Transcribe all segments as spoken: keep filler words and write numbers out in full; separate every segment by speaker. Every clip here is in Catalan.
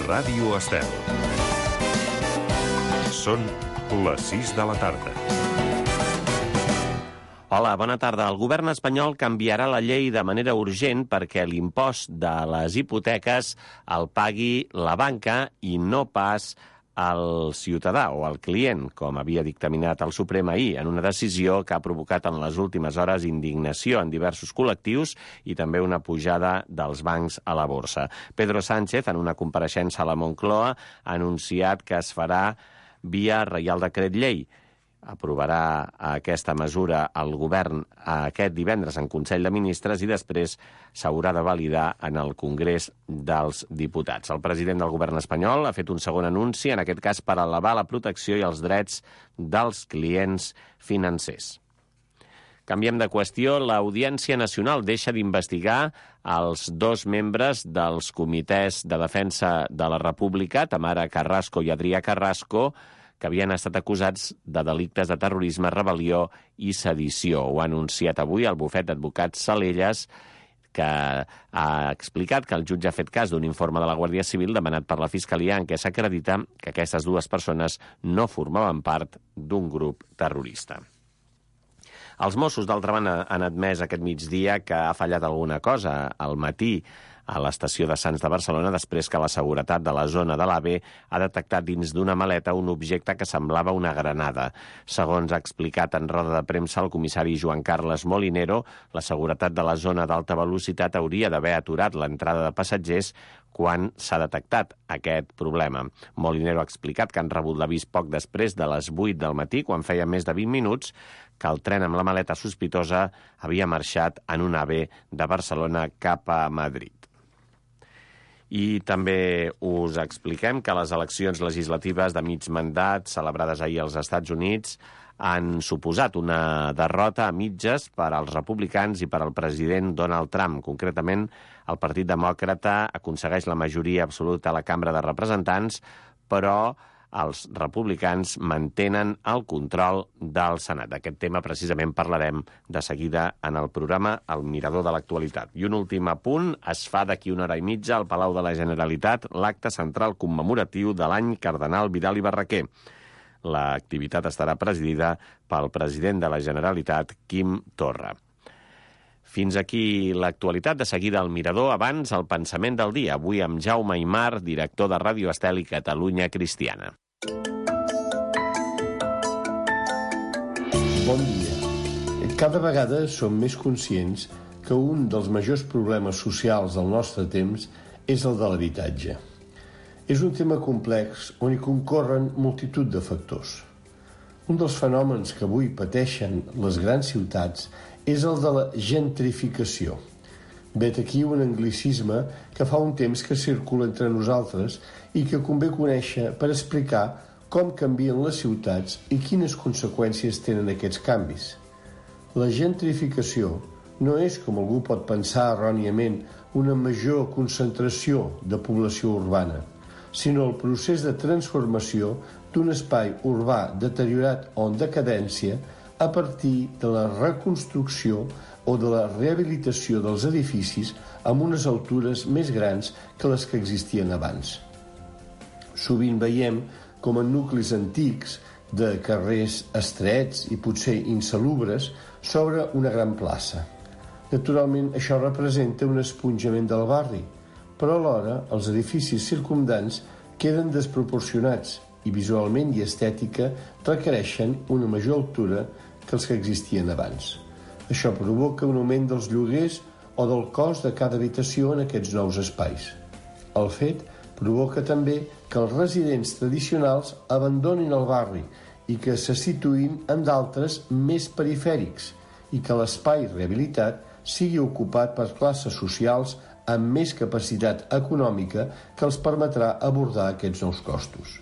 Speaker 1: Ràdio Estel. Són les sis de la tarda.
Speaker 2: Hola, bona tarda. El govern espanyol canviarà la llei de manera urgent perquè l'impost de les hipoteques el pagui la banca i no pas el ciutadà o el client, com havia dictaminat el Suprem ahir, en una decisió que ha provocat en les últimes hores indignació en diversos col·lectius i també una pujada dels bancs a la borsa. Pedro Sánchez, en una compareixença a la Moncloa, ha anunciat que es farà via Reial Decret Llei. Aprovarà aquesta mesura el govern aquest divendres en Consell de Ministres i després s'haurà de validar en el Congrés dels Diputats. El president del govern espanyol ha fet un segon anunci, en aquest cas per elevar la protecció i els drets dels clients financers. Canviem de qüestió. L'Audiència Nacional deixa d'investigar els dos membres dels comitès de defensa de la República, Tamara Carrasco i Adrià Carrasco, que havien estat acusats de delictes de terrorisme, rebel·lió i sedició. Ho ha anunciat avui el bufet d'advocats Salelles, que ha explicat que el jutge ha fet cas d'un informe de la Guàrdia Civil demanat per la Fiscalia en què s'acredita que aquestes dues persones no formaven part d'un grup terrorista. Els Mossos, d'altra banda, han admès aquest migdia que ha fallat alguna cosa al matí a l'estació de Sants de Barcelona després que la seguretat de la zona de l'A V E ha detectat dins d'una maleta un objecte que semblava una granada. Segons ha explicat en roda de premsa el comissari Joan Carles Molinero, la seguretat de la zona d'alta velocitat hauria d'haver aturat l'entrada de passatgers quan s'ha detectat aquest problema. Molinero ha explicat que han rebut l'avís poc després de les vuit del matí, quan feia més de vint minuts, que el tren amb la maleta sospitosa havia marxat en un A V E de Barcelona cap a Madrid. I també us expliquem que les eleccions legislatives de mig mandat celebrades ahir als Estats Units han suposat una derrota a mitges per als republicans i per al president Donald Trump. Concretament, el Partit Demòcrata aconsegueix la majoria absoluta a la Cambra de Representants, però els republicans mantenen el control del Senat. D'aquest tema precisament parlarem de seguida en el programa El Mirador de l'Actualitat. I un últim apunt, es fa d'aquí una hora i mitja al Palau de la Generalitat l'acte central commemoratiu de l'any Cardenal Vidal i Barraquer. L'activitat estarà presidida pel president de la Generalitat, Quim Torra. Fins aquí l'actualitat. De seguida al Mirador, abans el pensament del dia. Avui amb Jaume Aymar, director de Ràdio Estel i Catalunya Cristiana.
Speaker 3: Bon dia. Cada vegada som més conscients que un dels majors problemes socials del nostre temps és el de l'habitatge. És un tema complex on hi concorren multitud de factors. Un dels fenòmens que avui pateixen les grans ciutats és el de la gentrificació. Vet aquí un anglicisme que fa un temps que circula entre nosaltres i que convé conèixer per explicar com canvien les ciutats i quines conseqüències tenen aquests canvis. La gentrificació no és, com algú pot pensar erròniament, una major concentració de població urbana, sinó el procés de transformació d'un espai urbà deteriorat o en decadència a partir de la reconstrucció o de la rehabilitació dels edificis amb unes altures més grans que les que existien abans. Sovint veiem com en nuclis antics de carrers estrets i potser insalubres s'obre una gran plaça. Naturalment, això representa un esponjament del barri, però alhora els edificis circumdants queden desproporcionats i visualment i estètica requereixen una major altura que els que existien abans. Això provoca un augment dels lloguers o del cost de cada habitació en aquests nous espais. El fet provoca també que els residents tradicionals abandonin el barri i que se situïn en d'altres més perifèrics i que l'espai rehabilitat sigui ocupat per classes socials amb més capacitat econòmica que els permetrà abordar aquests nous costos.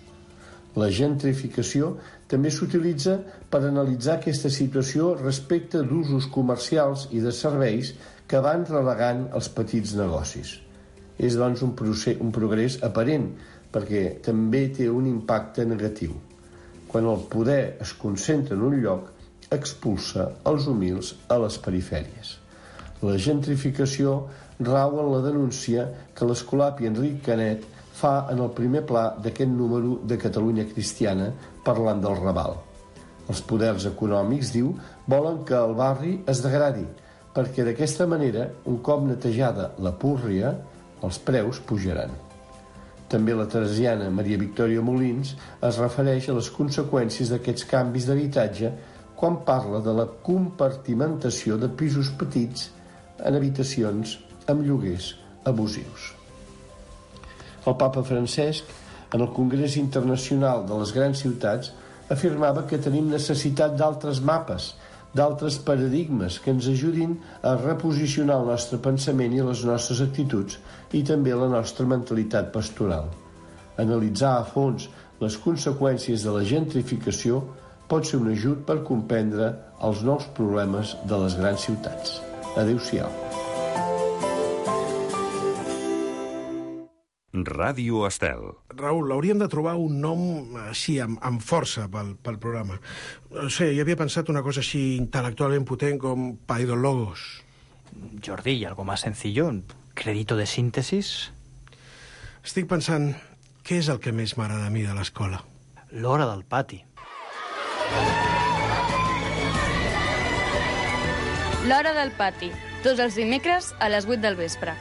Speaker 3: La gentrificació també s'utilitza per analitzar aquesta situació respecte d'usos comercials i de serveis que van relegant els petits negocis. És, doncs, un, procés, un progrés aparent, perquè també té un impacte negatiu. Quan el poder es concentra en un lloc, expulsa els humils a les perifèries. La gentrificació rau en la denúncia que l'escolapi Enric Canet fa en el primer pla d'aquest número de Catalunya Cristiana parlant del Raval. Els poders econòmics, diu, volen que el barri es degradi, perquè d'aquesta manera, un cop netejada la púrria, els preus pujaran. També la teresiana Maria Victòria Molins es refereix a les conseqüències d'aquests canvis d'habitatge quan parla de la compartimentació de pisos petits en habitacions amb lloguers abusius. El papa Francesc, en el Congrés Internacional de les Grans Ciutats, afirmava que tenim necessitat d'altres mapes, d'altres paradigmes que ens ajudin a reposicionar el nostre pensament i les nostres actituds i també la nostra mentalitat pastoral. Analitzar a fons les conseqüències de la gentrificació pot ser un ajut per comprendre els nous problemes de les grans ciutats. Adéu-siau.
Speaker 1: Ràdio Estel.
Speaker 4: Raül, hauríem de trobar un nom així, amb, amb força pel, pel programa. No sé, jo havia pensat una cosa així intel·lectualment potent com Paidologos.
Speaker 5: Jordi, ¿y algo más sencillo? ¿Crédito de síntesis?
Speaker 4: Estic pensant, què és el que més m'agrada a mi de l'escola?
Speaker 5: L'hora del pati.
Speaker 6: L'hora del pati. Tots els dimecres a les vuit del vespre.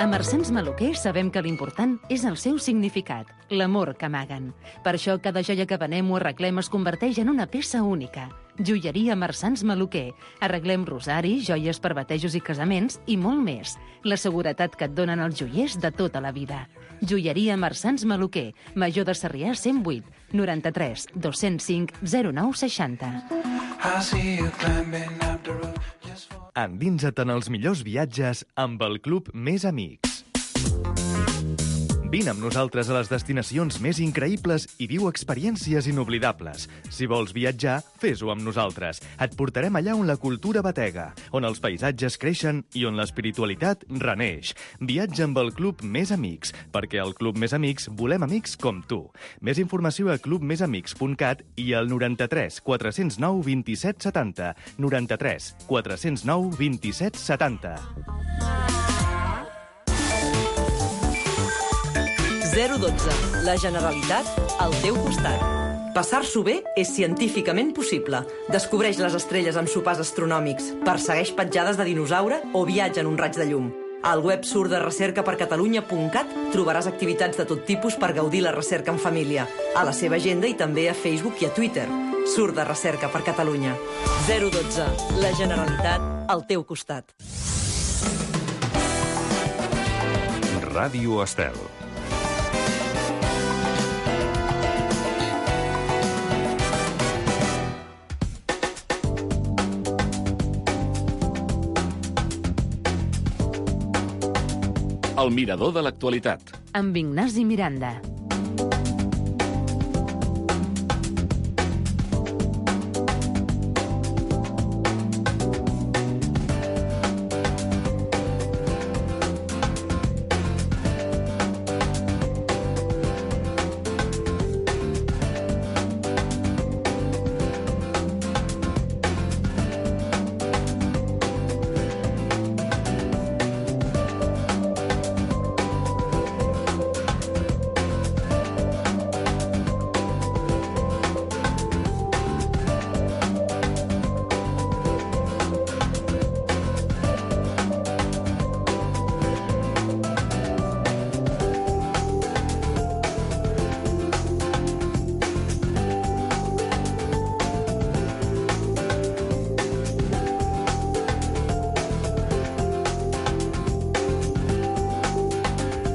Speaker 7: A Marsans Maluquer sabem que l'important és el seu significat, l'amor que amaguen. Per això cada joia que venem o arreglem es converteix en una peça única. Joieria Marsans Maluquer. Arreglem rosaris, joies per batejos i casaments i molt més. La seguretat que et donen els joiers de tota la vida. Joieria Marsans Maluquer. Major de Sarrià cent vuit, noranta-tres, dos-cents cinc, zero nou seixanta.
Speaker 8: Endinsa't en els millors viatges amb el Club Més Amics. Vine amb nosaltres a les destinacions més increïbles i viu experiències inoblidables. Si vols viatjar, fes-ho amb nosaltres. Et portarem allà on la cultura batega, on els paisatges creixen i on l'espiritualitat reneix. Viatja amb el Club Més Amics, perquè al Club Més Amics volem amics com tu. Més informació a club més amics punt cat i al noranta-tres quatre-cents nou vint-i-set setanta. noranta-tres quatre-cents nou vint-i-set setanta.
Speaker 9: zero dotze. La Generalitat al teu costat. Passar-s'ho bé és científicament possible. Descobreix les estrelles amb sopars astronòmics, persegueix petjades de dinosaure o viatja en un raig de llum. Al web surt de recerca per catalunya punt cat trobaràs activitats de tot tipus per gaudir la recerca en família, a la seva agenda i també a Facebook i a Twitter. Surt de recerca per Catalunya. zero dotze. La Generalitat al teu costat.
Speaker 1: Ràdio Estel.
Speaker 2: El mirador de l'actualitat.
Speaker 7: Amb Ignasi Miranda.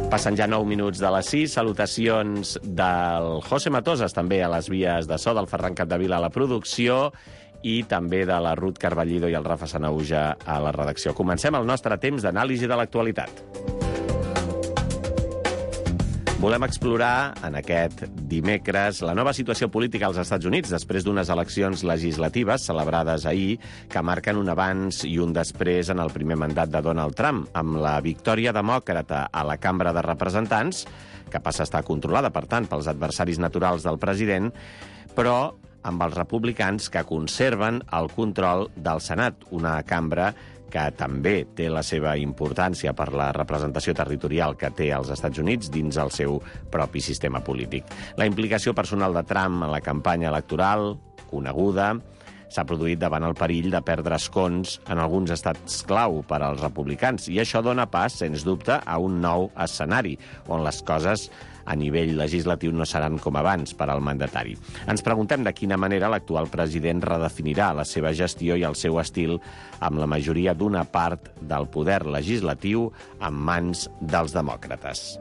Speaker 2: Passen ja nou minuts de les sis. Salutacions del José Matosas, també a les vies de so, del Ferran Capdevila a la producció i també de la Ruth Carballido i el Rafa Sanauja a la redacció. Comencem el nostre temps d'anàlisi de l'actualitat. Volem explorar en aquest dimecres la nova situació política als Estats Units després d'unes eleccions legislatives celebrades ahir que marquen un abans i un després en el primer mandat de Donald Trump, amb la victòria demòcrata a la Cambra de Representants, que passa a estar controlada, per tant, pels adversaris naturals del president, però amb els republicans, que conserven el control del Senat, una cambra que també té la seva importància per la representació territorial que té als Estats Units dins el seu propi sistema polític. La implicació personal de Trump en la campanya electoral, coneguda, s'ha produït davant el perill de perdre escons en alguns estats clau per als republicans, i això dona pas, sens dubte, a un nou escenari, on les coses a nivell legislatiu no seran com abans per al mandatari. Ens preguntem de quina manera l'actual president redefinirà la seva gestió i el seu estil amb la majoria d'una part del poder legislatiu en mans dels demòcrates.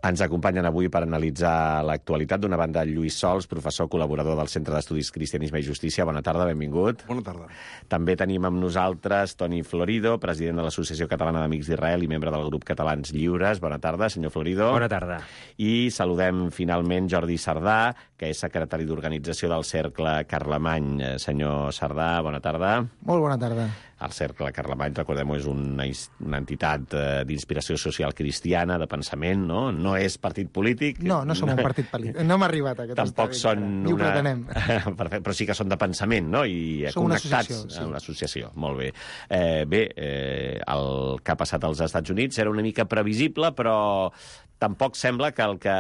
Speaker 2: Ens acompanyen avui per analitzar l'actualitat d'una banda Lluís Sols, professor col·laborador del Centre d'Estudis Cristianisme i Justícia. Bona tarda, benvingut.
Speaker 10: Bona tarda.
Speaker 2: També tenim amb nosaltres Toni Florido, president de l'Associació Catalana d'Amics d'Israel i membre del grup Catalans Lliures. Bona tarda, senyor Florido.
Speaker 5: Bona tarda.
Speaker 2: I saludem finalment Jordi Sardà, que és secretari d'Organització del Cercle Carlemany. Senyor Sardà, bona tarda.
Speaker 11: Molt bona tarda.
Speaker 2: El Cercle Carlemany, recordem-ho, és una, una entitat eh, d'inspiració social cristiana, de pensament, no? No és partit polític.
Speaker 11: No, no som un partit polític. No hem arribat a aquest
Speaker 2: Tampoc
Speaker 11: estadi.
Speaker 2: són
Speaker 11: Ni ho
Speaker 2: una...
Speaker 11: pretenem.
Speaker 2: Perfecte, però sí que són de pensament, no? I
Speaker 11: som una
Speaker 2: connectats
Speaker 11: associació, sí.
Speaker 2: a una associació. Molt bé. Eh, bé, eh, el que ha passat als Estats Units era una mica previsible, però tampoc sembla que el que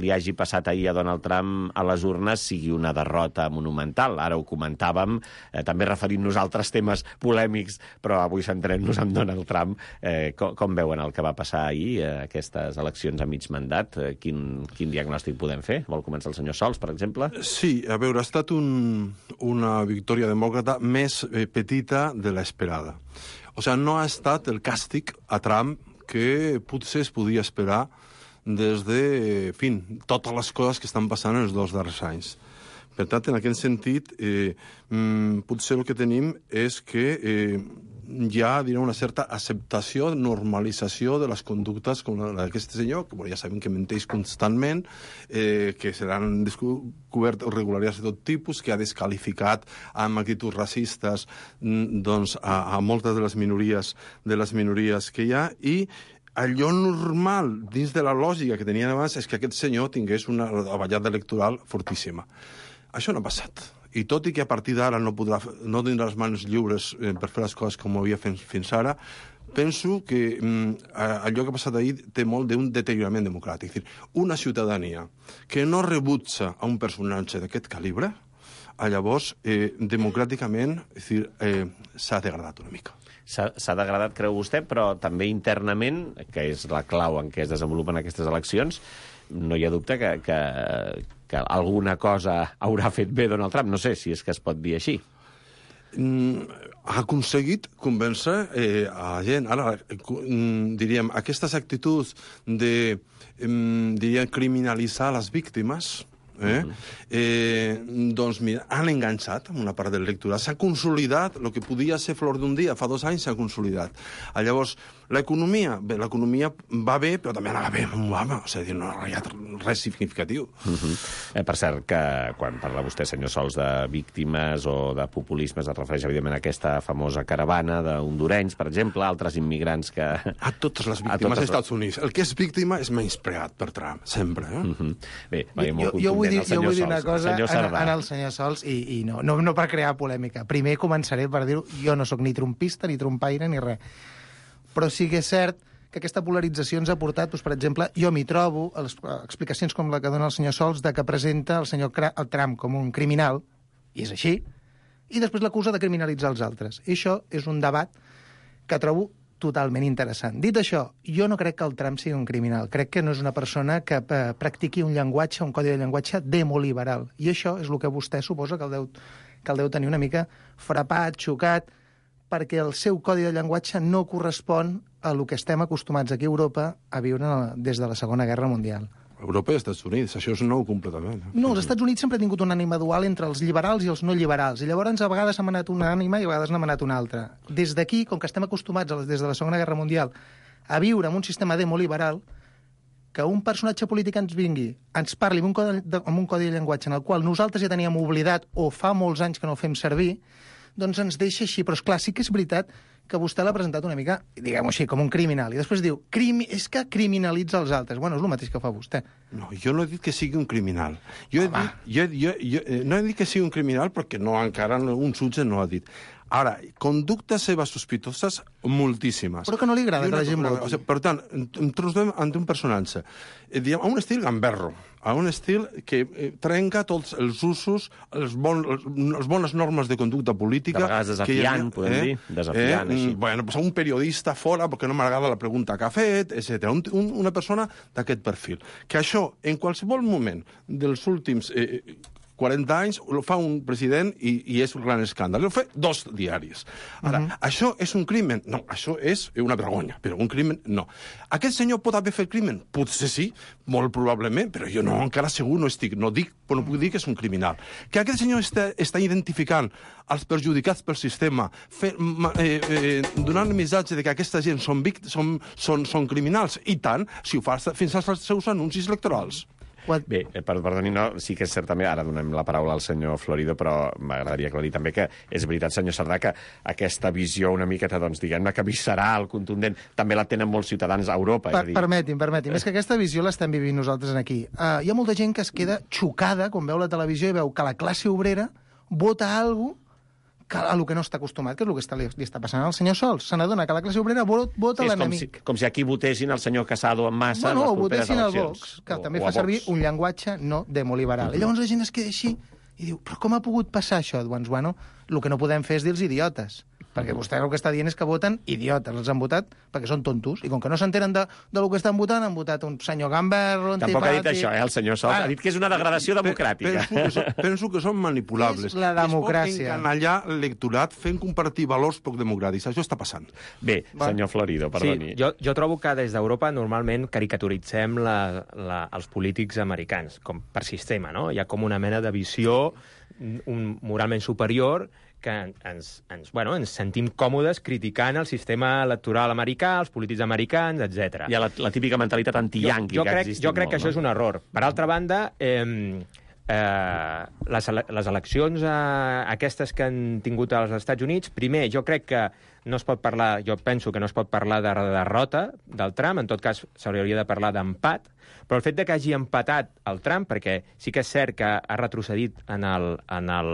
Speaker 2: li hagi passat ahir a Donald Trump a les urnes sigui una derrota monumental. Ara ho comentàvem, eh, també referint-nos a altres temes polèmics, però avui centrem-nos en Donald Trump. Eh, com, com veuen el que va passar ahir, eh, aquestes eleccions a mig mandat? Eh, quin, quin diagnòstic podem fer? Vol començar el senyor Sols, per exemple?
Speaker 10: Sí, a veure, ha estat un, una victòria demòcrata més eh, petita de l'esperada. O sigui, no ha estat el càstig a Trump que potser es podia esperar des de, en fi, totes les coses que estan passant en els dos darrers anys. Per tant, en aquest sentit, eh, potser el que tenim és que eh, hi ha, diré, una certa acceptació, normalització de les conductes com la d'aquest senyor, que bueno, ja sabem que menteix constantment, eh, que se l'han descobert irregularitats de tot tipus, que ha descalificat amb actituds racistes doncs, a, a moltes de les minories de les minories que hi ha, i allò normal, dins de la lògica que tenien abans, és que aquest senyor tingués una avallada electoral fortíssima. Això no ha passat. I tot i que a partir d'ara no, podrà, no tindrà les mans lliures eh, per fer les coses com ho havia fet fins ara, penso que mm, allò que ha passat ahir té molt d'un deteriorament democràtic. És dir, una ciutadania que no rebutja a un personatge d'aquest calibre, llavors, eh, democràticament, és dir, eh, s'ha degradat una mica.
Speaker 2: S'ha degradat, creu vostè, però també internament, que és la clau en què es desenvolupen aquestes eleccions, no hi ha dubte que, que, que alguna cosa haurà fet bé Donald Trump. No sé si és que es pot dir així.
Speaker 10: Mm, ha aconseguit convèncer eh, a la gent. Ara, mm, diríem, aquestes actituds de, mm, diríem, criminalitzar les víctimes, Eh? Eh, doncs mira, han enganxat amb una part del lectorat, s'ha consolidat, el que podia ser flor d'un dia fa dos anys s'ha consolidat. Ah, llavors, l'economia, bé, l'economia va bé, però també anava bé amb Obama, o sigui, no hi ha res significatiu.
Speaker 2: Uh-huh. eh, per cert, que quan parla vostè, senyor Sols, de víctimes o de populisme, es refereix evidentment a aquesta famosa caravana d'hondurenys, per exemple, altres immigrants que...
Speaker 10: A totes les víctimes als Estats Units. El que és víctima és menyspreat per Trump, sempre. Eh?
Speaker 2: Uh-huh. Bé, va,
Speaker 11: jo, jo, jo vull dir, jo vull dir una cosa en, en el senyor Sols, i, i no, no, no per crear polèmica. Primer començaré per dir-ho, jo no sóc ni trompista, ni trompaire, ni res. Però sí que és cert que aquesta polarització ens ha portat, doncs, per exemple, jo m'hi trobo, a les explicacions com la que dona el senyor Sols, de que presenta el senyor el Trump com un criminal, i és així, i després l'acusa de criminalitzar els altres. I això és un debat que trobo totalment interessant. Dit això, jo no crec que el Trump sigui un criminal. Crec que no és una persona que eh, practiqui un llenguatge, un codi de llenguatge demoliberal. I això és el que vostè suposa que el deu, que el deu tenir una mica frapat, xocat, perquè el seu codi de llenguatge no correspon a el que estem acostumats aquí a Europa a viure des de la Segona Guerra Mundial.
Speaker 10: Europa i els Estats Units, això és nou completament.
Speaker 11: No, els Estats Units sempre han tingut una ànima dual entre els liberals i els no liberals, i llavors a vegades ha manat una ànima i a vegades n'ha manat una altra. Des d'aquí, com que estem acostumats des de la Segona Guerra Mundial a viure en un sistema demoliberal, que un personatge polític ens vingui, ens parli amb un codi de, amb un codi de llenguatge en el qual nosaltres ja teníem oblidat o fa molts anys que no el fem servir, doncs ens deixa així. Però, esclar, sí que és veritat que vostè l'ha presentat una mica, diguem-ho així, com un criminal, i després diu, crimi... és que criminalitza els altres. Bueno, és el mateix que fa vostè.
Speaker 10: No, jo no he dit que sigui un criminal. Jo he dit, jo, jo, jo, no he dit que sigui un criminal perquè no, encara un jutge no ha dit. Ara, conductes seves sospitoses, moltíssimes.
Speaker 11: Però que no li agrada que la gent voti.
Speaker 10: O sigui, per tant, em trobem ante un personatge, eh, diguem, a un estil gamberro, a un estil que eh, trenca tots els usos, els bon, les bones normes de conducta política...
Speaker 2: De vegades desafiant, que, podem eh, dir, desafiant, eh, així.
Speaker 10: Bueno, pues a un periodista fora, perquè no m'agrada la pregunta que ha fet, etcètera. Un, un, una persona d'aquest perfil. Que això, en qualsevol moment dels últims... Eh, quaranta anys, ho fa un president i, i és un gran escàndol. Ho fa dos diaris. Ara, uh-huh. això és un crimen? No, això és una vergonya, però un crimen no. Aquest senyor pot haver fet crimen? Potser sí, molt probablement, però jo no, encara segur no estic, no dic, però no puc dir que és un criminal. Que aquest senyor està, està identificant els perjudicats pel sistema, fe, eh, eh, donant el missatge de que aquesta gent són, són, són, són criminals, i tant, si ho fa fins als seus anuncis electorals.
Speaker 2: Bé, per, perdoni, no, sí que és cert també, ara donem la paraula al senyor Florido, però m'agradaria aclarir també que és veritat, senyor Cerdà, que aquesta visió una miqueta, doncs, diguem-ne, que visceral, contundent, també la tenen molts ciutadans a Europa.
Speaker 11: Per,
Speaker 2: és a dir...
Speaker 11: Permeti'm, permeti'm, és que aquesta visió l'estem vivint nosaltres aquí. Uh, hi ha molta gent que es queda xocada quan veu la televisió i veu que la classe obrera vota alguna que a lo que no està acostumat, que és el que està, li, li està passant al senyor Sols. Se n'adona que la classe obrera vota sí, l'enemic.
Speaker 2: Com, si, com si aquí votessin el senyor Casado en massa
Speaker 11: bueno,
Speaker 2: en les properes
Speaker 11: votessin
Speaker 2: eleccions.
Speaker 11: El Vox, que
Speaker 2: o,
Speaker 11: també
Speaker 2: o
Speaker 11: fa servir un llenguatge no demoliberal. Mm-hmm. I llavors la gent es queda així i diu, però com ha pogut passar això? Doncs, bueno, el que no podem fer és dir-los idiotes. Perquè vostè el que està dient és que voten idiotes. Els han votat perquè són tontos. I com que no s'enteren de, de lo que estan votant, han votat un senyor gamberro, antipàtic...
Speaker 2: Tampoc ha dit això, eh, el senyor Sols. Ah, ha dit que és una degradació democràtica.
Speaker 10: Penso que, són, penso que són manipulables.
Speaker 11: És la democràcia.
Speaker 10: Es pot encanallar l'electorat fent compartir valors poc democràtics. Això està passant.
Speaker 2: Bé, Va. senyor Florido, perdoni.
Speaker 12: Sí, jo, jo trobo que des d'Europa normalment caricaturitzem la, la, els polítics americans com per sistema, no? Hi ha com una mena de visió un, moralment superior que ens, ens, bueno, ens sentim còmodes criticant el sistema electoral americà, els polítics americans, etcètera.
Speaker 2: Hi ha la, la típica mentalitat anti-yanqui
Speaker 12: jo, jo
Speaker 2: que
Speaker 12: crec,
Speaker 2: existit
Speaker 12: Jo crec
Speaker 2: molt,
Speaker 12: que
Speaker 2: no?
Speaker 12: això és un error. Per altra banda, eh, eh, les, les eleccions eh, aquestes que han tingut als Estats Units, primer, jo crec que no es pot parlar, jo penso que no es pot parlar de derrota del Trump, en tot cas s'hauria de parlar d'empat, però el fet de que hagi empatat el Trump, perquè sí que és cert que ha retrocedit en el... En el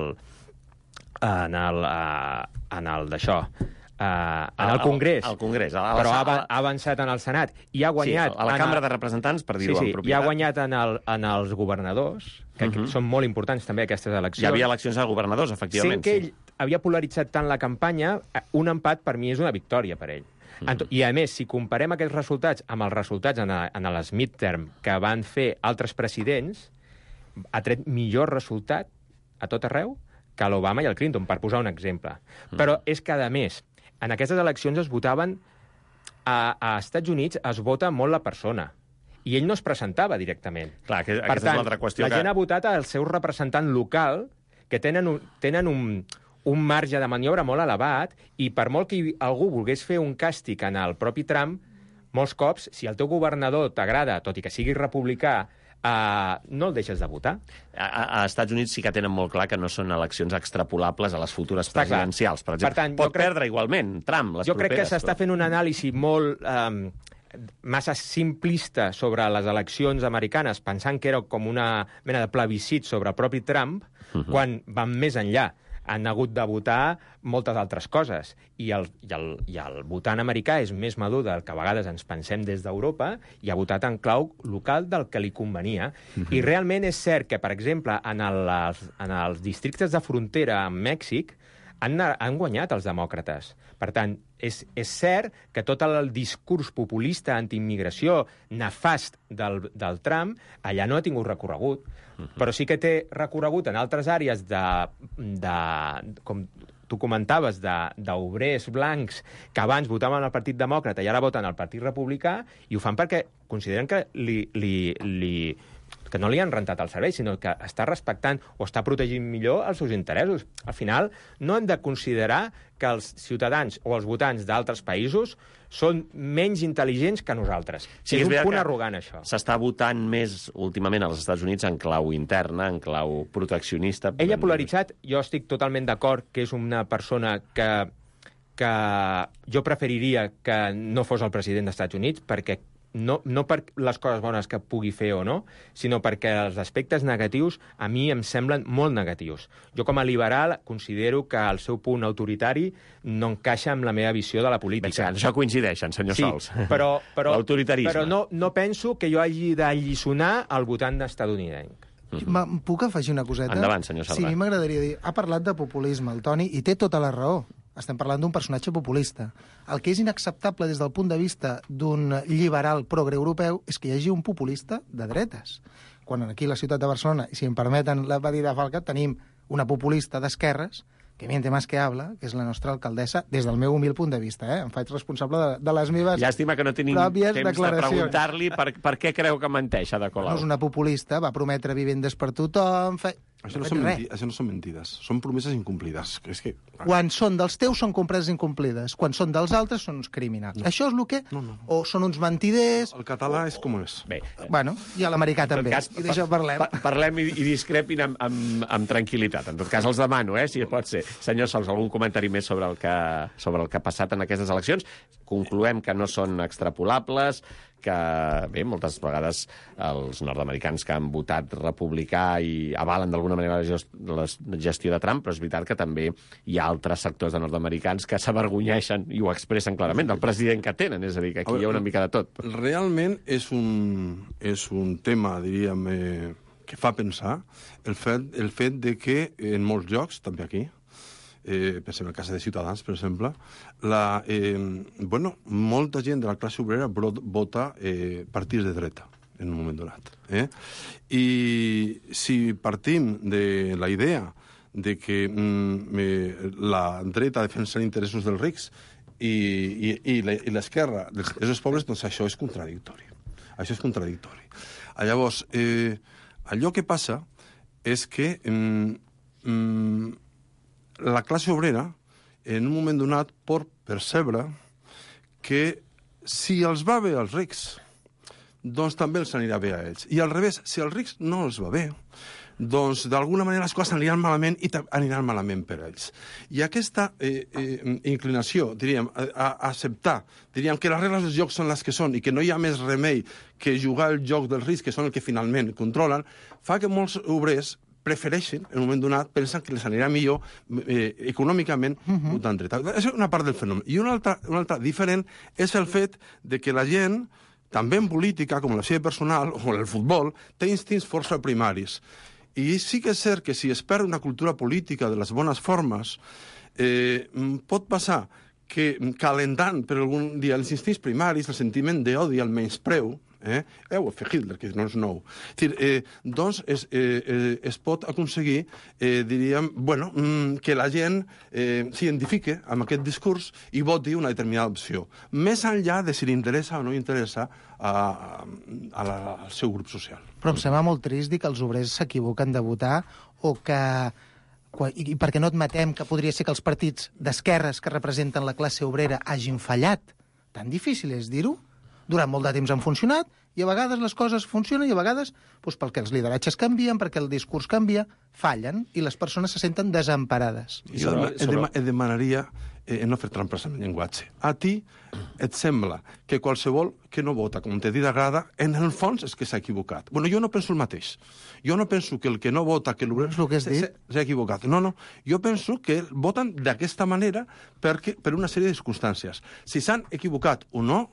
Speaker 12: en el, uh, en el d'això, uh, en el Congrés.
Speaker 2: Al Congrés. A la,
Speaker 12: però ha, ha avançat en el Senat i ha guanyat...
Speaker 2: Sí, a la Cambra el... de Representants, per dir-ho
Speaker 12: sí, sí,
Speaker 2: amb propietat.
Speaker 12: I ha guanyat en, el, en els governadors, que uh-huh. són molt importants també aquestes eleccions.
Speaker 2: Hi havia eleccions a governadors, efectivament.
Speaker 12: Sent que ell sí. havia polaritzat tant la campanya, un empat per mi és una victòria per ell. Uh-huh. I, a més, si comparem aquests resultats amb els resultats en, a, en les midterm que van fer altres presidents, ha tret millor resultat a tot arreu que l'Obama i el Clinton, per posar un exemple. Mm. Però és que, a més, en aquestes eleccions es votaven... A, a Estats Units es vota molt la persona, i ell no es presentava directament.
Speaker 2: Clar, que,
Speaker 12: per tant,
Speaker 2: és qüestió
Speaker 12: la
Speaker 2: que...
Speaker 12: gent ha votat al seu representant local, que tenen un, tenen un, un marge de maniobra molt elevat, i per molt que algú volgués fer un càstig en el propi Trump, molts cops, si el teu governador t'agrada, tot i que sigui republicà, Uh, no el deixes de votar.
Speaker 2: A, a Estats Units sí que tenen molt clar que no són eleccions extrapolables a les futures
Speaker 12: Està
Speaker 2: presidencials. Per exemple, per tant, pot crec... perdre igualment Trump les
Speaker 12: jo
Speaker 2: properes.
Speaker 12: Jo crec que s'està fent un anàlisi molt um, massa simplista sobre les eleccions americanes, pensant que era com una mena de plebiscit sobre el propi Trump, uh-huh. quan van més enllà. Han hagut de votar moltes altres coses. I el, i, el, I el votant americà és més madur del que a vegades ens pensem des d'Europa i ha votat en clau local del que li convenia. Uh-huh. I realment és cert que, per exemple, en, el, en els districtes de frontera amb Mèxic han, han guanyat els demòcrates. Per tant, és, és cert que tot el discurs populista antiimmigració nefast del, del Trump allà no ha tingut recorregut. Però sí que té recorregut en altres àrees de, de com tu comentaves, d'obrers blancs que abans votaven al Partit Demòcrata i ara voten al Partit Republicà, i ho fan perquè consideren que li, li, li, que no li han rentat el servei, sinó que està respectant o està protegint millor els seus interessos. Al final, no hem de considerar que els ciutadans o els votants d'altres països són menys intel·ligents que nosaltres. Sí, és, és un punt arrogant, això.
Speaker 2: S'està votant més últimament als Estats Units en clau interna, en clau proteccionista.
Speaker 12: Ell ha polaritzat, jo estic totalment d'acord que és una persona que, que jo preferiria que no fos el president dels Estats Units, perquè no, no per les coses bones que pugui fer o no, sinó perquè els aspectes negatius a mi em semblen molt negatius. Jo, com a liberal, considero que el seu punt autoritari no encaixa amb la meva visió de la política.
Speaker 2: Bé, això coincideixen, senyor
Speaker 12: sí,
Speaker 2: Sols.
Speaker 12: Però, però,
Speaker 2: l'autoritarisme.
Speaker 12: Però no, no penso que jo hagi d'alliçonar el votant estadounidenc.
Speaker 11: Mm-hmm. Puc afegir una coseta?
Speaker 2: Endavant, senyor Sardà.
Speaker 11: Sí, a mi m'agradaria dir... Ha parlat de populisme, el Toni, i té tota la raó. Estem parlant d'un personatge populista. El que és inacceptable des del punt de vista d'un liberal progre europeu és que hi hagi un populista de dretes. Quan aquí a la ciutat de Barcelona, i si em permeten la va dir de Falca, tenim una populista d'esquerres que miente más que habla, que és la nostra alcaldessa, des del meu humil punt de vista. Eh? Em faig responsable de, de les meves
Speaker 2: Llàstima que no tenim temps de preguntar-li per, per què creu que menteix, Ada Colau.
Speaker 11: No és una populista, va prometre vivendes per tothom... Fe...
Speaker 10: Això no, són menti... Això no són mentides, són promeses incomplides. És que...
Speaker 11: Quan són dels teus són compreses incomplides, quan són dels altres són uns criminals. No. Això és el que...
Speaker 10: No, no.
Speaker 11: O són uns mentiders...
Speaker 10: El català és com és.
Speaker 2: Bé.
Speaker 11: Bueno, i a l'americà també.
Speaker 2: Cas,
Speaker 11: I d'això parlem.
Speaker 2: Pa parlem i, i discrepin amb, amb, amb tranquil·litat. En tot cas, els demano, eh, si pot ser. Senyor Sols, algun comentari més sobre el que, sobre el que ha passat en aquestes eleccions? Concloem que no són extrapolables, que, bé, moltes vegades els nord-americans que han votat republicà i avalen d'alguna manera la, gest la gestió de Trump, però és veritat que també hi ha altres sectors de nord-americans que s'avergonyeixen i ho expressen clarament del president que tenen, és a dir, que aquí veure, hi ha una mica de tot.
Speaker 10: Realment és un, és un tema, diríem, eh, que fa pensar el fet, el fet de que en molts llocs, també aquí, Eh, pensem en el cas de Ciutadans, per exemple, la, eh, bueno, molta gent de la classe obrera vota eh, partits de dreta en un moment donat. Eh? I si partim de la idea de que mm, eh, la dreta defensa els interessos dels rics i, i, i l'esquerra dels interessos pobres, doncs això és contradictori. Això és contradictori. Llavors, eh, allò que passa és que mm, mm, la classe obrera, en un moment donat, pot percebre que si els va bé als rics, doncs també els anirà bé a ells. I al revés, si als rics no els va bé, doncs d'alguna manera les coses aniran malament i aniran malament per ells. I aquesta eh, eh, inclinació, diríem, a, a acceptar, diríem que les regles del joc són les que són i que no hi ha més remei que jugar el joc dels rics, que són el que finalment controlen, fa que molts obrers prefereixen, en un moment donat, pensen que les anirà millor eh, econòmicament uh-huh. votant dreta. És una part del fenomen. I una altra, una altra diferent és el fet de que la gent, també en política, com la seva personal, o en el futbol, té instints força primaris. I sí que és cert que si es perd una cultura política de les bones formes, eh, pot passar que calentant per algun dia els instints primaris, el sentiment d'odi, el menyspreu, Eh? Eh, ho ha fet Hitler, que no és nou. És dir, eh, doncs es, eh, eh, es pot aconseguir, eh, diríem, bueno, mm, que la gent eh, s'identifique amb aquest discurs i voti una determinada opció. Més enllà de si li interessa o no interessa a, a la, al seu grup social.
Speaker 11: Però em sembla molt trist dir que els obrers s'equivoquen de votar o que... I perquè no admetem que podria ser que els partits d'esquerres que representen la classe obrera hagin fallat. Tan difícil és dir-ho? Durant molt de temps han funcionat, i a vegades les coses funcionen, i a vegades, doncs, perquè els lideratges canvien, perquè el discurs canvia, fallen, i les persones se senten desemparades.
Speaker 10: Jo et demanaria eh, no fer trampes amb el llenguatge. A ti et sembla que qualsevol que no vota com te dit agrada, en el fons és que s'ha equivocat. Bueno, jo no penso el mateix. Jo no penso que el que no vota, que l'obrer s'ha equivocat. No, no. Jo penso que voten d'aquesta manera perquè, per una sèrie de circumstàncies. Si s'han equivocat o no,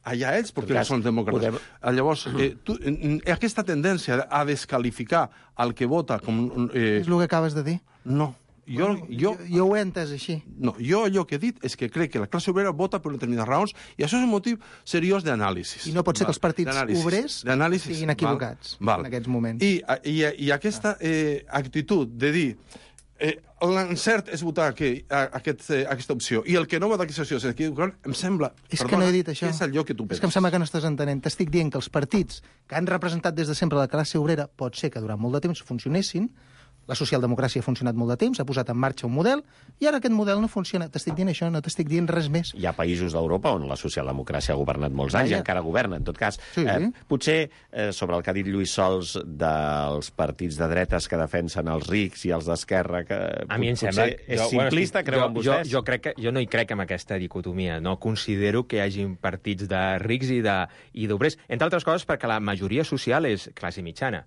Speaker 10: allà ells, perquè no són demòcrates. Podem... Llavors, eh, tu, eh, aquesta tendència a descalificar el que vota com...
Speaker 11: Eh... És el que acabes de dir?
Speaker 10: No. Jo,
Speaker 11: bueno,
Speaker 10: jo,
Speaker 11: jo, jo ho he entès així.
Speaker 10: No, jo allò que he dit és que crec que la classe obrera vota per determinades raons i això és un motiu seriós d'anàlisi.
Speaker 11: I no pot ser que els partits obrers estiguin equivocats
Speaker 10: val, val.
Speaker 11: en aquests moments.
Speaker 10: I, i, i aquesta eh, actitud de dir Eh, l'encert és votar aquí, a, a aquest, eh, aquesta opció, i el que no vota aquesta opció és equivocat, em sembla...
Speaker 11: És
Speaker 10: perdona,
Speaker 11: que no he dit això.
Speaker 10: És allò que tu penses.
Speaker 11: És que em sembla que no estàs entenent. T'estic dient que els partits que han representat des de sempre la classe obrera pot ser que durant molt de temps funcionessin, La socialdemocràcia ha funcionat molt de temps, ha posat en marxa un model, i ara aquest model no funciona. T'estic dient això, no t'estic dient res més.
Speaker 2: Hi ha països d'Europa on la socialdemocràcia ha governat molts anys i encara governa, en tot cas.
Speaker 11: Sí.
Speaker 2: Eh, potser, eh, sobre el que ha dit Lluís Sols dels partits de dretes que defensen els rics i els d'esquerra, que
Speaker 12: a mi em
Speaker 2: potser
Speaker 12: sembla...
Speaker 2: és
Speaker 12: jo,
Speaker 2: simplista,
Speaker 12: bueno,
Speaker 2: creuen
Speaker 12: jo,
Speaker 2: vostès?
Speaker 12: Jo, jo, crec que, jo no hi crec en aquesta dicotomia. No considero que hi hagi partits de rics i d'obrers, entre altres coses perquè la majoria social és classe mitjana.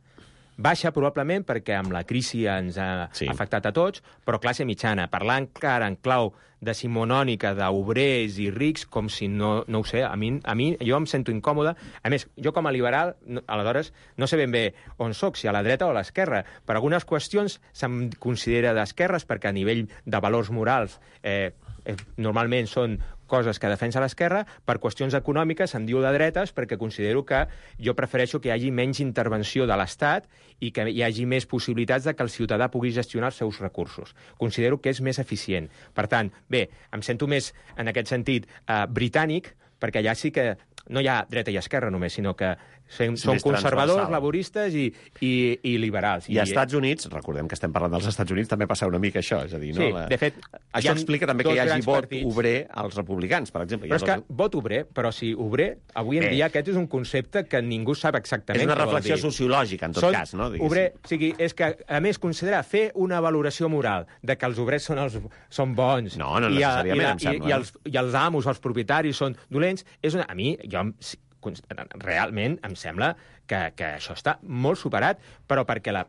Speaker 12: Baixa, probablement, perquè amb la crisi ens ha sí. afectat a tots, però classe mitjana. Parlar encara en clau decimonònica d'obrers i rics, com si no, no ho sé, a mi, a mi jo em sento incòmode. A més, jo com a liberal, no, aleshores, no sé ben bé on soc, si a la dreta o a l'esquerra. Per algunes qüestions se'm considera d'esquerres, perquè a nivell de valors morals eh, eh, normalment són coses que defensa l'esquerra. Per qüestions econòmiques em diu de dretes perquè considero que jo prefereixo que hi hagi menys intervenció de l'Estat i que hi hagi més possibilitats de que el ciutadà pugui gestionar els seus recursos. Considero que és més eficient. Per tant, bé, em sento més, en aquest sentit, eh, britànic, perquè allà sí que no hi ha dreta i esquerra només, sinó que són conservadors, laboristes i, i, i liberals.
Speaker 2: I als Estats Units, recordem que estem parlant dels Estats Units, també passa una mica això, és a dir, no?
Speaker 12: Sí, de fet...
Speaker 2: Això explica també que hi hagi vot
Speaker 12: partits.
Speaker 2: obrer als republicans, per exemple.
Speaker 12: Però és que vot obrer, però si obrer, avui en
Speaker 2: Bé.
Speaker 12: dia aquest és un concepte que ningú sap exactament.
Speaker 2: És una reflexió sociològica, en tot
Speaker 12: són
Speaker 2: cas, no? Diguéssim.
Speaker 12: Obrer, o sigui, és que, a més, considerar fer una valoració moral de que els obrers són, els, són bons
Speaker 2: no, no
Speaker 12: i,
Speaker 2: necessàriament,
Speaker 12: i, la,
Speaker 2: em sembla,
Speaker 12: i, i, els, i els amos, els propietaris, són dolents, és una, a mi, jo realment em sembla que, que això està molt superat, però perquè, la,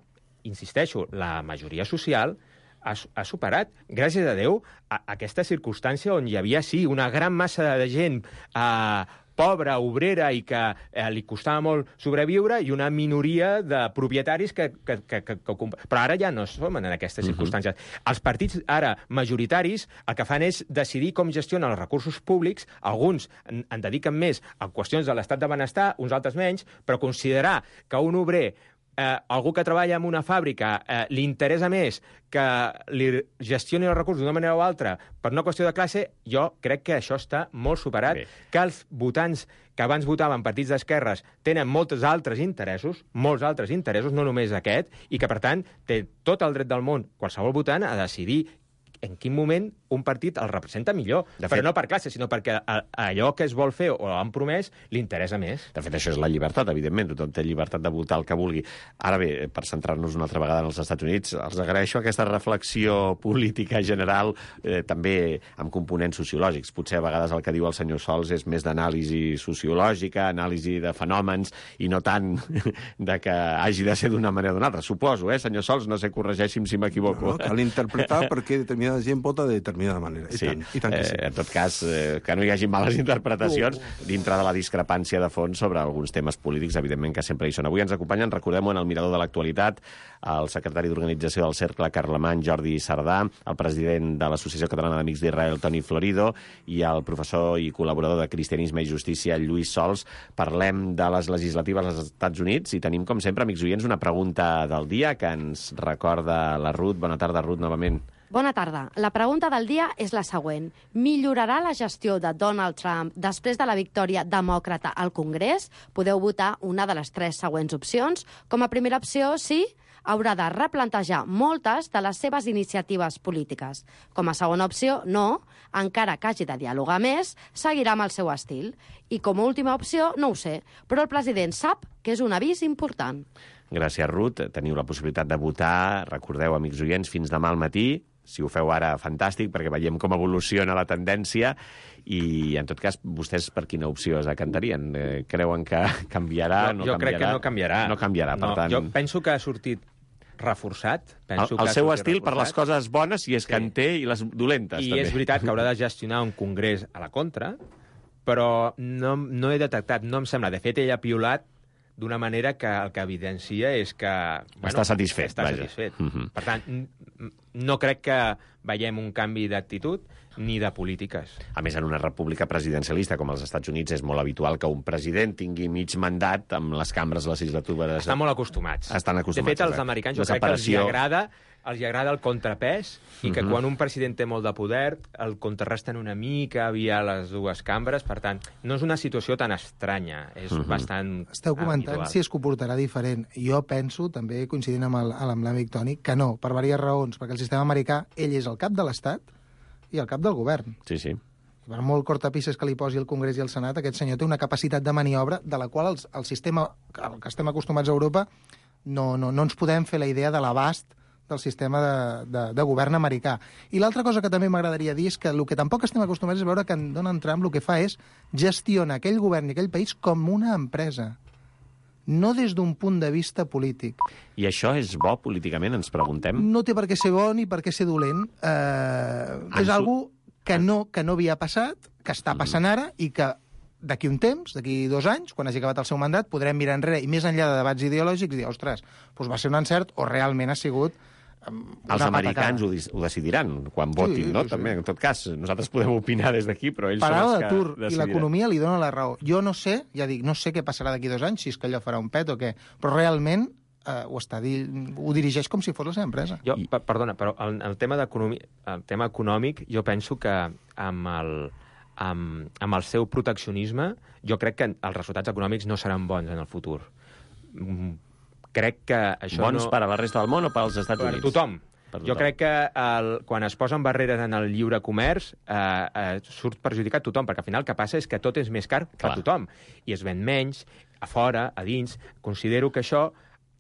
Speaker 12: insisteixo, la majoria social ha, ha superat, gràcies a Déu, a, a aquesta circumstància on hi havia, sí, una gran massa de gent eh, pobra, obrera, i que eh, li costava molt sobreviure, i una minoria de propietaris que... que, que, que, que... Però ara ja no som en aquestes uh-huh. circumstàncies. Els partits ara majoritaris el que fan és decidir com gestionen els recursos públics. Alguns en, en dediquen més a qüestions de l'estat de benestar, uns altres menys, però considerar que un obrer Eh, algú que treballa en una fàbrica eh, li interessa més que li gestioni els recursos d'una manera o altra per una qüestió de classe, jo crec que això està molt superat. Bé. Que els votants que abans votaven partits d'esquerres tenen molts altres interessos, molts altres interessos, no només aquest, i que, per tant, té tot el dret del món, qualsevol votant, a decidir en quin moment un partit el representa millor. De fet, però no per classe, sinó perquè allò que es vol fer o han promès li interessa més.
Speaker 2: De fet, això és la llibertat, evidentment. Tothom té llibertat de votar el que vulgui. Ara bé, per centrar-nos una altra vegada en els Estats Units, els agraeixo aquesta reflexió política general, eh, també amb components sociològics. Potser a vegades el que diu el senyor Sols és més d'anàlisi sociològica, anàlisi de fenòmens, i no tant de que hagi de ser d'una manera o d'una altra. Suposo, eh, senyor Sols? No sé, corregeixi'm si m'equivoco.
Speaker 10: No, cal interpretar perquè determinada gent vota de determinada manera. I
Speaker 2: sí.
Speaker 10: tant, i tant que sí.
Speaker 2: Eh, en tot cas, eh, que no hi hagi males interpretacions uh. dintre de la discrepància de fons sobre alguns temes polítics, evidentment que sempre hi són. Avui ens acompanyen, recordem-ho, en el Mirador de l'Actualitat, el secretari d'Organització del Cercle Carlemany, Jordi Sardà, el president de l'Associació Catalana d'Amics d'Israel, Toni Florido, i el professor i col·laborador de Cristianisme i Justícia, Lluís Sols. Parlem de les legislatives als Estats Units i tenim, com sempre, amics oients, una pregunta del dia que ens recorda la Ruth. Bona tarda, Ruth, novament.
Speaker 13: Bona tarda. La pregunta del dia és la següent. Millorarà la gestió de Donald Trump després de la victòria demòcrata al Congrés? Podeu votar una de les tres següents opcions. Com a primera opció, sí, haurà de replantejar moltes de les seves iniciatives polítiques. Com a segona opció, no, encara que hagi de dialogar més, seguirà amb el seu estil. I com a última opció, no ho sé, però el president sap que és un avís important.
Speaker 2: Gràcies, Ruth. Teniu la possibilitat de votar. Recordeu, amics oients, fins demà al matí. Si ho feu ara, fantàstic, perquè veiem com evoluciona la tendència i, en tot cas, vostès per quina opció es decantarien? Eh, creuen que canviarà?
Speaker 12: Jo,
Speaker 2: no
Speaker 12: jo
Speaker 2: canviarà?
Speaker 12: crec que no canviarà.
Speaker 2: No canviarà, per
Speaker 12: no,
Speaker 2: tant...
Speaker 12: Jo penso que ha sortit reforçat. Penso
Speaker 2: el el
Speaker 12: que
Speaker 2: seu
Speaker 12: sortit
Speaker 2: estil
Speaker 12: reforçat.
Speaker 2: per les coses bones, si és sí. que en té, i les dolentes,
Speaker 12: I
Speaker 2: també.
Speaker 12: és veritat que haurà de gestionar un congrés a la contra, però no, no he detectat, no em sembla. De fet, ell ha piulat d'una manera que el que evidencia és que... Bueno,
Speaker 2: està satisfet,
Speaker 12: està
Speaker 2: vaja.
Speaker 12: satisfet.
Speaker 2: Uh -huh.
Speaker 12: Per tant, no crec que veiem un canvi d'actitud ni de polítiques.
Speaker 2: A més, en una república presidencialista com els Estats Units és molt habitual que un president tingui mig mandat amb les cambres legislatives.
Speaker 12: Estan molt acostumats.
Speaker 2: Estan acostumats.
Speaker 12: De fet, als
Speaker 2: exacte.
Speaker 12: americans jo
Speaker 2: la
Speaker 12: crec
Speaker 2: separació...
Speaker 12: que els agrada els agrada el contrapès i que
Speaker 2: Mhm.
Speaker 12: quan un president té molt de poder el contrarresten una mica via les dues cambres. Per tant, no és una situació tan estranya, és
Speaker 11: Mhm.
Speaker 12: bastant
Speaker 11: Esteu comentant
Speaker 12: habitual.
Speaker 11: si es comportarà diferent. Jo penso, també coincidint amb el- amb l'àmbit tònic, que no, per diverses raons, perquè el sistema americà, ell és el cap de l'Estat i el cap del govern.
Speaker 2: Sí, sí.
Speaker 11: Per molt cortapisses que li posi el Congrés i el Senat, aquest senyor té una capacitat de maniobra de la qual els, el sistema al que estem acostumats a Europa no, no, no ens podem fer la idea de l'abast del sistema de, de, de govern americà. I l'altra cosa que també m'agradaria dir és que el que tampoc estem acostumats és veure que en Donald Trump el que fa és gestionar aquell govern i aquell país com una empresa, no des d'un punt de vista polític.
Speaker 2: I això és bo políticament, ens preguntem?
Speaker 11: No té per què ser bo ni per què ser dolent. Eh, és
Speaker 2: su-
Speaker 11: algo que no, que no havia passat, que està passant ara i que d'aquí un temps, d'aquí dos anys, quan hagi acabat el seu mandat, podrem mirar enrere i més enllà de debats ideològics dir, ostres, doncs va ser un encert o realment ha sigut una
Speaker 2: Els americans
Speaker 11: patacada.
Speaker 2: ho, dis- ho decidiran quan votin,
Speaker 11: Sí,
Speaker 2: no?
Speaker 11: sí.
Speaker 2: També, en tot cas, nosaltres podem opinar des d'aquí, però ells
Speaker 11: Parada
Speaker 2: són els
Speaker 11: d'atur
Speaker 2: que
Speaker 11: i
Speaker 2: decidiran.
Speaker 11: l'economia li dona la raó. Jo no sé, ja dic, no sé què passarà d'aquí dos anys, si és que allò farà un pet o què, però realment eh, ho, està di ho dirigeix com si fos la seva empresa.
Speaker 12: Jo, per, perdona, però el, el, tema el tema econòmic, jo penso que amb el, amb, amb el seu proteccionisme, jo crec que els resultats econòmics no seran bons en el futur. Mm, Crec que això
Speaker 2: Bons
Speaker 12: no...
Speaker 2: per a la resta del món o pels Estats
Speaker 12: Per
Speaker 2: Units?
Speaker 12: tothom.
Speaker 2: Per
Speaker 12: Jo
Speaker 2: tothom.
Speaker 12: crec que el, quan es posen barreres en el lliure comerç eh, eh, surt perjudicat tothom, perquè al final el que passa és que tot és més car per
Speaker 2: Clar.
Speaker 12: tothom. I es ven menys, a fora, a dins. Considero que això...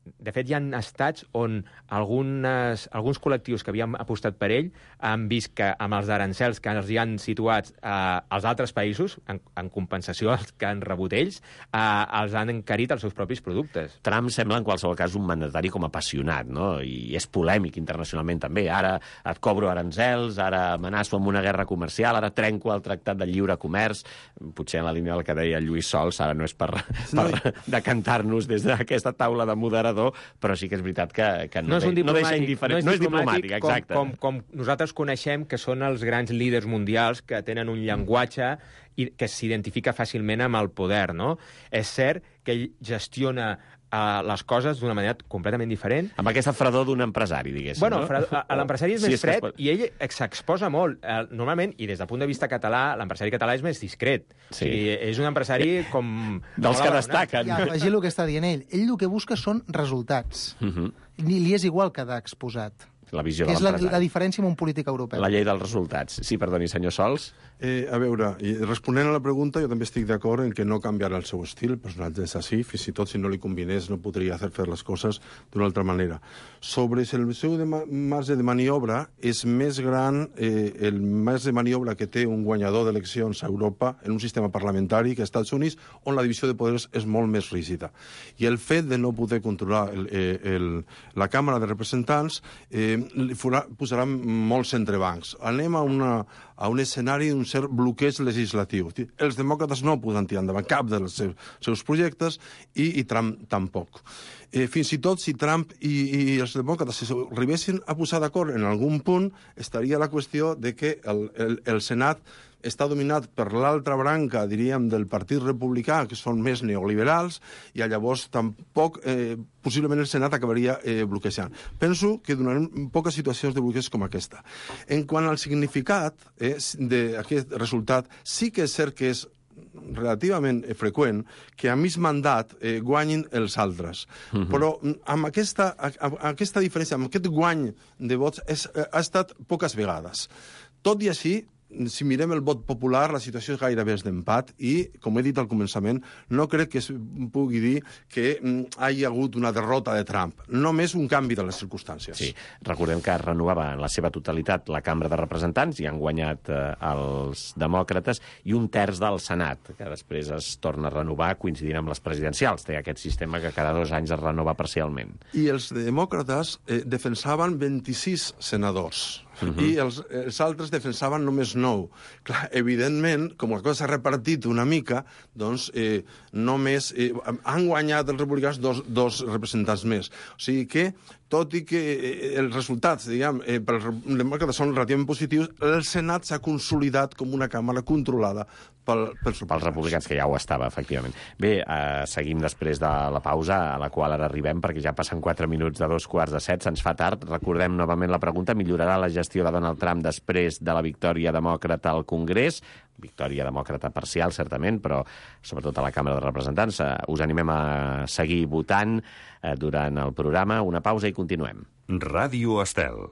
Speaker 12: De fet, hi ha estats on algunes, alguns col·lectius que havien apostat per ell han vist que amb els arancels que els hi han situat eh, als altres països, en, en compensació als que han rebut ells, eh, els han encarit els seus propis productes.
Speaker 2: Trump sembla, en qualsevol cas, un mandatari com apassionat, no? I és polèmic internacionalment també. Ara et cobro arancels, ara amenaço amb una guerra comercial, ara trenco el tractat de lliure comerç. Potser en la línia del que deia Lluís Sols, ara no és per, per decantar-nos des d'aquesta taula de moderador, però sí que és veritat que, que no,
Speaker 12: No és un
Speaker 2: de, no deixa
Speaker 12: diplomàtic,
Speaker 2: indiferent.
Speaker 12: no és diplomàtic,
Speaker 2: exacte.
Speaker 12: com, com, com nosaltres coneixem que són els grans líders mundials que tenen un llenguatge i que s'identifica fàcilment amb el poder, no? És cert que ell gestiona uh, les coses d'una manera completament diferent.
Speaker 2: Amb aquesta fredor d'un empresari, diguéssim,
Speaker 12: Bueno,
Speaker 2: no?
Speaker 12: fred, l'empresari és
Speaker 2: Sí,
Speaker 12: més
Speaker 2: és que es
Speaker 12: fred
Speaker 2: pot-
Speaker 12: i ell s'exposa molt. Eh, Normalment, i des del punt de vista català, l'empresari català és més discret.
Speaker 2: Sí.
Speaker 12: O sigui, és un empresari com...
Speaker 2: Dels
Speaker 12: molt
Speaker 2: que
Speaker 12: abandonat.
Speaker 2: destaquen.
Speaker 11: Ja, afegir el que està dient ell. Ell el que busca són resultats.
Speaker 2: Uh -huh.
Speaker 11: Li, li és igual quedar exposat.
Speaker 2: La visió
Speaker 11: Que
Speaker 2: de
Speaker 11: és la,
Speaker 2: l'empresari.
Speaker 11: la diferència amb un polític europeu.
Speaker 2: La llei dels resultats. Sí, perdoni, senyor Sols.
Speaker 10: Eh, a veure, i responent a la pregunta, jo també estic d'acord en que no canviarà el seu estil, el personatge és així, fins i tot si no li combinés no podria fer fer les coses d'una altra manera. Sobre si el seu de marge de maniobra és més gran, eh, el marge de maniobra que té un guanyador d'eleccions a Europa en un sistema parlamentari que als Estats Units, on la divisió de poders és molt més rígida. I el fet de no poder controlar el, eh, el, la Càmera de Representants eh, li farà, posarà molts entrebancs. Anem a, una, a un escenari d'un cert bloqueig legislatiu. Els demòcrates no poden tirar endavant cap dels seus, seus projectes i, i Trump tampoc. Eh, fins i tot si Trump i, i els demòcrates s'arribessin a posar d'acord en algun punt, estaria la qüestió de que el, el, el Senat està dominat per l'altra branca, diríem, del Partit Republicà, que són més neoliberals, i llavors tampoc, eh, possiblement el Senat acabaria eh, bloquejant. Penso que donarem poques situacions de bloqueig com aquesta. En quant al significat eh, d'aquest resultat, sí que és cert que és relativament freqüent que a mig mandat eh, guanyin els altres. Uh-huh. Però amb aquesta, amb aquesta diferència, amb aquest guany de vots, és, ha estat poques vegades. Tot i així, si mirem el vot popular, la situació és gairebé d'empat i, com he dit al començament, no crec que es pugui dir que hi hagi hagut una derrota de Trump. Només un canvi de les circumstàncies.
Speaker 2: Sí, recordem que es renovava en la seva totalitat la Cambra de Representants i han guanyat eh, els demòcrates i un terç del Senat, que després es torna a renovar coincidint amb les presidencials. Té aquest sistema que cada dos anys es renova parcialment.
Speaker 10: I els demòcrates eh, defensaven vint-i-sis senadors. Uh-huh. I els, els altres defensaven només nou. Clar, evidentment, com la cosa s'ha repartit una mica, doncs eh, només eh, han guanyat els republicans dos, dos representants més. O sigui que tot i que els resultats, diguem, eh, per els demòcrates són relativament positius, el Senat s'ha consolidat com una càmera controlada pel, pels,
Speaker 2: pels republicans, que ja ho estava, efectivament. Bé, eh, seguim després de la pausa, a la qual ara arribem, perquè ja passen quatre minuts de dos quarts de set, se'ns fa tard. Recordem novament la pregunta: millorarà la gestió de Donald Trump després de la victòria demòcrata al Congrés? Victòria demòcrata parcial, certament, però sobretot a la Càmera de Representants. Us animem a seguir votant eh, durant el programa. Una pausa i continuem.
Speaker 1: Ràdio Estel.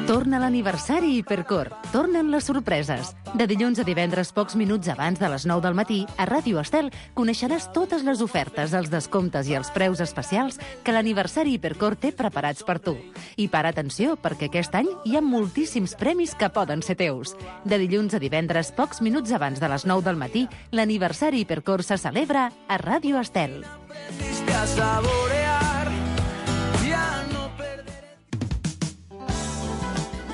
Speaker 7: Torna l'aniversari Hipercor. Tornen les sorpreses. De dilluns a divendres, pocs minuts abans de les nou del matí, a Ràdio Estel coneixeràs totes les ofertes, els descomptes i els preus especials que l'aniversari Hipercor té preparats per tu. I para atenció, perquè aquest any hi ha moltíssims premis que poden ser teus. De dilluns a divendres, pocs minuts abans de les nou del matí, l'aniversari Hipercor se celebra a Ràdio Estel.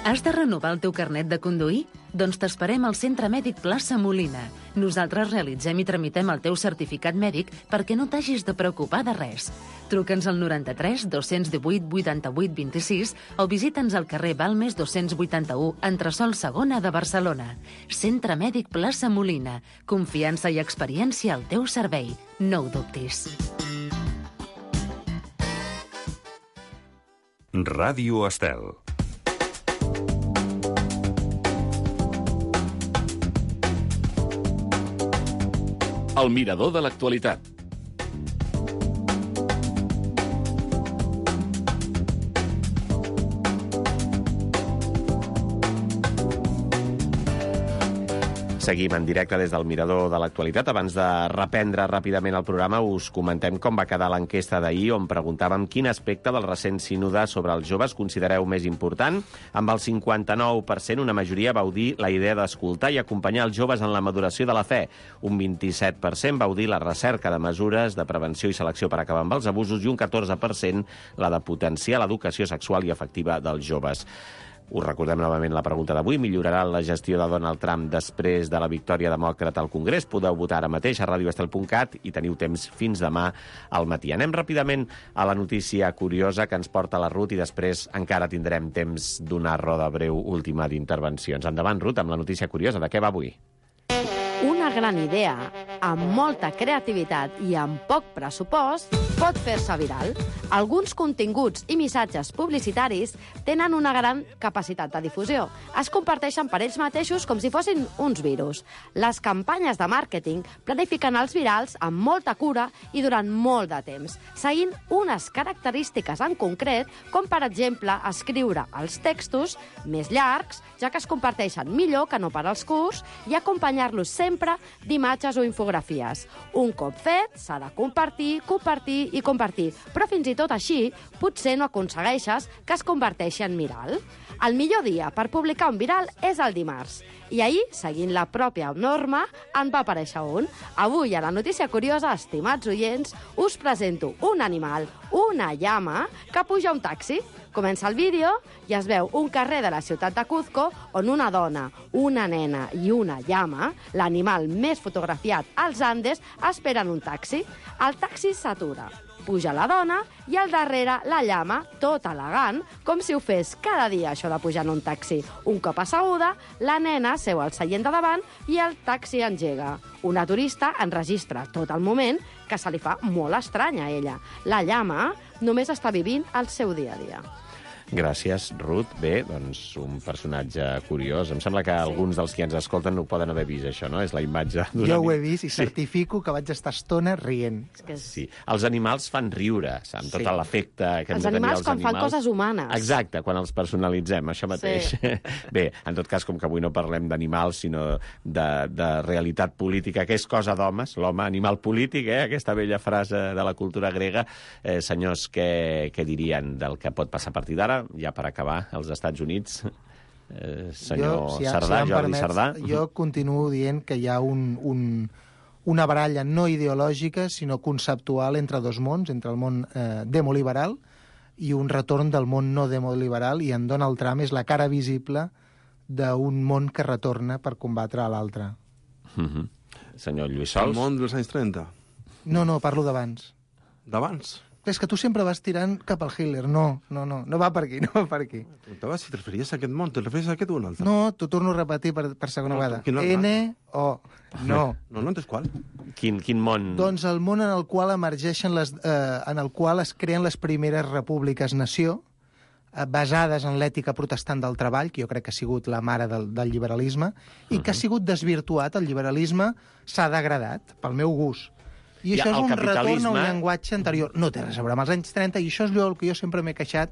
Speaker 7: Has de renovar el teu carnet de conduir? Doncs t'esperem al Centre Mèdic Plaça Molina. Nosaltres realitzem i tramitem el teu certificat mèdic perquè no t'hagis de preocupar de res. Truca'ns al noranta-tres dos-cents divuit vuitanta-vuit vint-i-sis o visita'ns al carrer Balmes dos-cents vuitanta-u, entresòl segona de Barcelona. Centre Mèdic Plaça Molina. Confiança i experiència al teu servei. No ho dubtis.
Speaker 1: Ràdio Estel.
Speaker 14: El mirador de l'actualitat.
Speaker 2: Seguim en directe des del mirador de l'actualitat. Abans de reprendre ràpidament el programa, us comentem com va quedar l'enquesta d'ahir, on preguntàvem quin aspecte del recent sínode sobre els joves considereu més important. Amb el cinquanta-nou per cent, una majoria vau dir la idea d'escoltar i acompanyar els joves en la maduració de la fe. Un vint-i-set per cent vau dir la recerca de mesures de prevenció i selecció per acabar amb els abusos i un catorze per cent la de potenciar l'educació sexual i afectiva dels joves. Us recordem novament la pregunta d'avui. Millorarà la gestió de Donald Trump després de la victòria demòcrata al Congrés? Podeu votar ara mateix a radio estel punt cat i teniu temps fins demà al matí. Anem ràpidament a la notícia curiosa que ens porta la Ruth i després encara tindrem temps d'una roda breu última d'intervencions. Endavant, Ruth, amb la notícia curiosa. De què va avui?
Speaker 13: Una gran idea, amb molta creativitat i amb poc pressupost, pot fer-se viral. Alguns continguts i missatges publicitaris tenen una gran capacitat de difusió. Es comparteixen per ells mateixos com si fossin uns virus. Les campanyes de màrqueting planifiquen els virals amb molta cura i durant molt de temps, seguint unes característiques en concret, com per exemple escriure els textos més llargs, ja que es comparteixen millor que no per als curts, i acompanyar-los sempre d'imatges o infografies. Un cop fet, s'ha de compartir, compartir i compartir, però fins i tot així potser no aconsegueixes que es converteixi en viral. El millor dia per publicar un viral és el dimarts. I ahir, seguint la pròpia norma, en va aparèixer un. Avui, a la notícia curiosa, estimats oients, us presento un animal, una llama, que puja a un taxi. Comença el vídeo i es veu un carrer de la ciutat de Cuzco on una dona, una nena i una llama, l'animal més fotografiat als Andes, esperen un taxi. El taxi s'atura. Puja la dona i al darrere la llama, tot elegant, com si ho fes cada dia, això de pujar en un taxi. Un cop asseguda, la nena seu al seient de davant i el taxi engega. Una turista enregistra tot el moment, que se li fa molt estrany a ella. La llama només està vivint el seu dia a dia.
Speaker 2: Gràcies, Ruth. Bé, doncs un personatge curiós. Em sembla que sí. Alguns dels que ens escolten no ho poden haver vist, això, no? És la imatge d'un
Speaker 11: Jo ho he vist i sí. Certifico que vaig estar estona rient.
Speaker 2: Sí. Els animals fan riure, amb tot sí. l'efecte que hem
Speaker 13: els
Speaker 2: de tenir
Speaker 13: animals
Speaker 2: els
Speaker 13: quan
Speaker 2: animals.
Speaker 13: fan coses humanes.
Speaker 2: Exacte, quan els personalitzem, això mateix. Sí. Bé, en tot cas, com que avui no parlem d'animals, sinó de, de realitat política, que és cosa d'homes, l'home animal polític, eh? Aquesta vella frase de la cultura grega. Eh, senyors, què, què dirien del que pot passar a partir d'ara? Ja per acabar, als Estats Units, eh, senyor jo, si ha, Sardà, si Jordi permets, Sardà.
Speaker 11: Jo continuo dient que hi ha un, un, una baralla no ideològica, sinó conceptual entre dos mons, entre el món eh, demoliberal i un retorn del món no demoliberal, i en Donald Trump és la cara visible d'un món que retorna per combatre a l'altre.
Speaker 2: Mm-hmm. Senyor Lluís Sols.
Speaker 10: El món dels anys trenta?
Speaker 11: No, no, parlo d'abans.
Speaker 10: D'abans?
Speaker 11: És que tu sempre vas tirant cap al Hitler. No, no, no, no va per aquí, no va per aquí.
Speaker 10: Preguntava si te referies a aquest món, te referies a aquest o un altre?
Speaker 11: No, t'ho torno a repetir per, per segona
Speaker 10: No,
Speaker 11: vegada.
Speaker 10: quin altre?
Speaker 11: N O. No.
Speaker 10: No, no entens qual?
Speaker 2: Quin, quin món...
Speaker 11: Doncs el món en el qual emergeixen les, eh, en el qual es creen les primeres repúbliques-nació, eh, basades en l'ètica protestant del treball, que jo crec que ha sigut la mare del, del liberalisme, i que ha sigut desvirtuat. El liberalisme s'ha degradat, pel meu gust. I
Speaker 2: Ja,
Speaker 11: això és
Speaker 2: el
Speaker 11: un retorn a un
Speaker 2: capitalisme-
Speaker 11: llenguatge anterior. No té res a veure amb els anys trenta, i això és el que jo sempre m'he queixat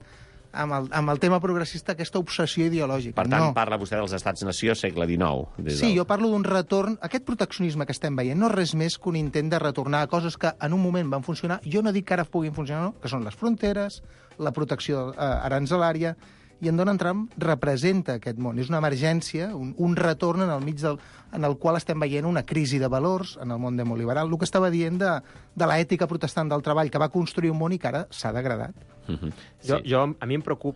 Speaker 11: amb el, amb el tema progressista, aquesta obsessió ideològica.
Speaker 2: Per tant,
Speaker 11: no.
Speaker 2: parla vostè dels Estats-nació segle dinou. Des
Speaker 11: Sí,
Speaker 2: del...
Speaker 11: jo parlo d'un retorn... Aquest proteccionisme que estem veient no és res més que un intent de retornar a coses que en un moment van funcionar. Jo no dic que ara puguin funcionar, no, que són les fronteres, la protecció eh, aranzelària, i en Donald Trump representa aquest món. És una emergència, un, un retorn en el mig del, en el qual estem veient una crisi de valors en el món demoliberal. El que estava dient de, de l'ètica protestant del treball, que va construir un món i que ara s'ha degradat.
Speaker 12: Mm-hmm. Jo, sí. jo, a mi em preocupa,